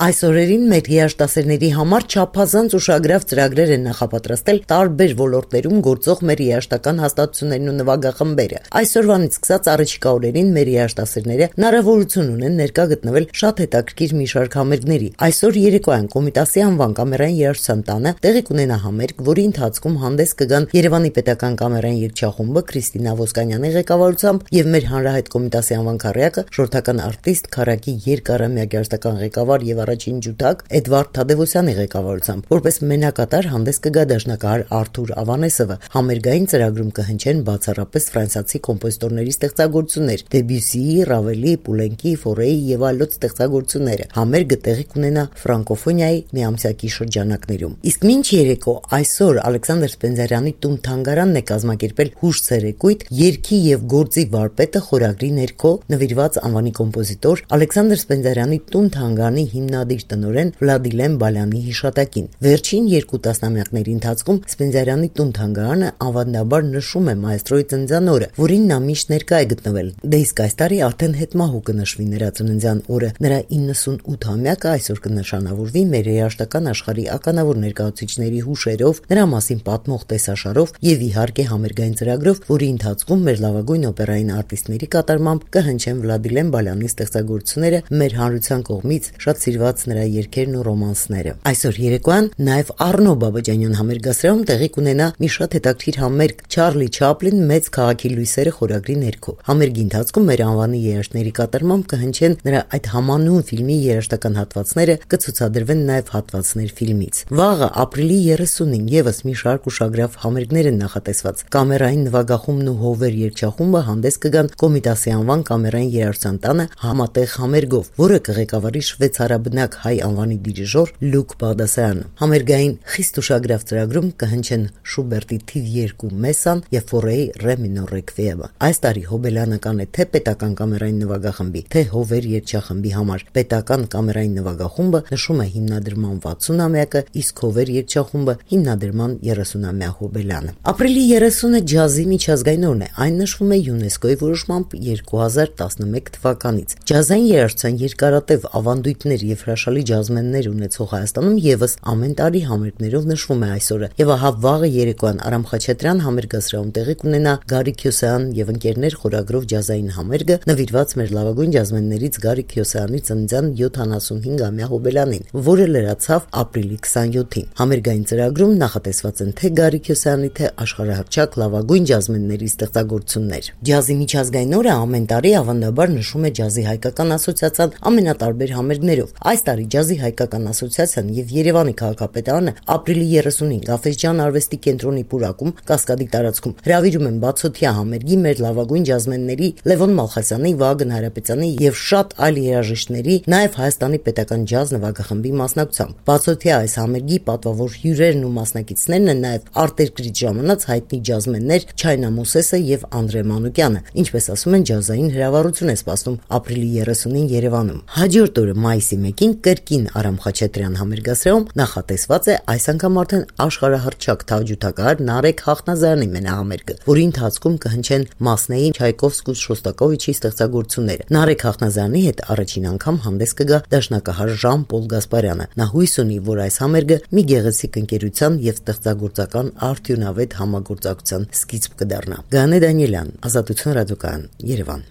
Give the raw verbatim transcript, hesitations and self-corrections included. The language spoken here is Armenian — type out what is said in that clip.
Այս օրերին մեր երաժշտասերների համար չափազանց ուշագրավ ծրագրեր են նախապատրաստել տարբեր ոլորտներում գործող մեր երաժշտական հաստատություններն ու նվագախմբերը։ Այսօրվանից սկսած առաջիկա օրերին մեր երաժշտասերները հնարավորություն ունեն ներկա գտնվել շատ հետաքրքիր մի շարք համերգների։ Այսօր երեկոյան Կոմիտասի անվան կամերային երաժշտության տանը տեղի կունենա համերգ, որի ընթացքում հանդես կգան Երևանի պետական կամերային երգչախումբը Քրիստինա Ոսկանյանի ղեկավարությամբ եւ մեր հանրահայտ Կոմիտասի անվան քառյակը շորթական արտիստ Քարակի երկարամյա երաժշտական ղեկավար եւ առաջին ջութակ Էդվարդ Թադևոսյանի ղեկավարությամբ, որպես մենակատար հանդես կգա դաշնակահար Արթուր Ավանեսովը։ Համերգային ծրագրում կհնչեն բացառապես ֆրանսիացի կոմպոզիտորների ստեղծագործություններ՝ Դեբյուսիի, Ռավելի, Պուլենկի, Ֆորեի եւ այլոց ստեղծագործությունները։ Համերգը տեղի կունենա ֆրանկոֆոնիայի միամսյակի շրջանակներում։ Իսկ մինչ երեկո այսօր Ալեքսանդր Սպենդիարյանի տուն-թանգարանն է կազմակերպել հուշ ցերեկույթ երգի եւ գործի վարպետը խորագրի ներքո նվիրված անվանի կոմպոզիտոր Ալեքսանդր Սպենդիարյանի տուն-թանգարանի հիմնադիր տնօրեն Վլադիլեն Բալյանի հիշատակին։ Վերջին երկու տասնամյակների ընթացքում Սպենդիարյանի տուն-թանգարանը ավանդաբար նշում է մայստրոյի ծննդյան օրը, որին նա միշտ ներկա է գտնվել։ Դե իսկ այս տարի արդեն հետմահու կնշվի նրա ծննդյան օրը։ Նրա իննսունութամյակը այսօր կնշանավորվի մեր երաժշտական աշխարհի ականավոր ներկայացուցիչների հուշերով, նրա մասին պատմող տեսաշարով եւ իհարկե համերգային ծրագրով, որի ընթացքում մեր լավագույն օպերային արտիստների կատարմամբ կհնչեն Վլադիլեն Բալյանի ստեղծագործությունները, մեր հանրության կողմից շատ սիրված նրա երգերն ու ռոմանսները։ Այսօր երեկոյան նաև Առնո Բաբաջանյան համերգասրահում տեղի կունենա մի շատ հետաքրքիր համերգ Չարլի Չապլին մեծ քաղաքի լույսերը խորագրի ներքո։ Համերգի ընթացքում մեր անվանի երաժշտների կատարմամբ կհնչեն նրա այդ համանուն ֆիլմի երաժշտական հատվածները, կցուցադրվեն նաև հատվածներ ֆիլմից։ Վաղը ապրիլի երեսունին եւս մի շարք ուշագրավ համերգներ են նախատեսված։ Կամերային նվագախումբն ու Հովեր երգչախումբը հանդես կգան Կոմիտասի անվան կամերային երաժշտության տանը համատեղ համերգով, որը կղեկավարի շվեյցարաբնակ հայ անվանի դիրիժոր Լուկ Բաղդասարյանը։ Համերգային խիստ ուշագրավ ծրագրում կհնչեն Շուբերտի թիվ երկու մեսան եւ Ֆորեի ռե մինոր ռեկվիեմը։ Այս տարի հոբելյանական է թե պետական կամերային նվագախմբի, թե Հովեր երգչախմբի համար։ Պետական կամերային նվագախումբը նշում է հիմնադրման վաթսունամյակը, իսկ Հովեր երգչախումբը հիմնադրման երեսունամյա հոբելյանը։ Ապրիլի երեսունը ջազի միջազգային օրն է։ Այն նշվում է ՅՈՒՆԵՍԿՕ-ի որոշմամբ երկու հազար տասնմեկ թվականից։ Ջազային երաժշտության երկարատև ավանդույթներ եւ հրաշալի ջազմեններ ունեցող Հայաստանում եւս ամեն տարի համերգներով նշվում է այսօրը։ Եվ ահա վաղը երեկոյան Արամ Խաչատրյան համերգասրահում տեղի կունենա Գարիկ Քյոսեյան եւ ընկերներ խորագրով ջազային համերգը, նվիրված մեր լավագույն ջազմեններից Գարիկ Քյոսեյանի ծննդյան յոթանասունհինգամյա հոբելյանին, որը լրացավ ապրիլի քսանյոթին։ Համերգային ծրագրում նախատեսված են թե Գարիկ Քյոսեյանի, թե աշխարհահռչակ լավագույն ջազմենների ստեղծագործություններ։ Ջազի միջազգային օրը ամեն տարի ավանդաբար նշում է Ջազի հայկական ասոցիացիան ամենատարբեր համերգներով։ Այս տարի Ջազի հայկական ասոցիացիան եւ Երևանի քաղաքապետարանը ապրիլի երեսունին Գաֆէսճեան արվեստի կենտրոնի պուրակում Կասկադի տարածքում հրավիրում են բացօթյա համերգի մեր լավագույն ջազմենների Լևոն Մալխասյանի, Վագն Հարապետյանի եւ շատ այլ երաժիշտների, նաեւ Հայաստանի պետական ջազ նվագախմբի մասնակցությամբ։ Բացօթյա այս համերգի պատվավոր հյուրերն ու մասնակիցներն են նաեւ արտերկրից ժամանած հայտնի ջազմեններ Չայնա Մոսեսը եւ Անդրե Մանուկյանը, ինչպես ասում են, ջազային հրավառություն է սպասում ապրիլի երեսունին Երևանում։ Հաջորդ օրը մայիսի մեկին կրկին Արամ Խաչատրյան համերգասրահում նախատեսված է այս անգամ արդեն աշխարհահռչակ թավջութակահար Նարեկ Խախնազարյանի մենահամերգը, որի ընթացքում կհնչեն Մասնեի, Չայկովսկու, Շոստակովիչի ստեղծագործությունները։ Նարեկ Խախնազարյանի հետ առաջին անգամ հանդես կգա դաշնակահար Ժան-Պոլ Գասպարյանը։ Նա հույս ունի, որ այս համերգը մի գեղեցիկ ընկերության եւ ստեղծագործական արդյունավետ համագործակցության սկիզբ կդառնա։ Գաներ Դանիելյան, Ազատություն ռադիոկայան, Երևան։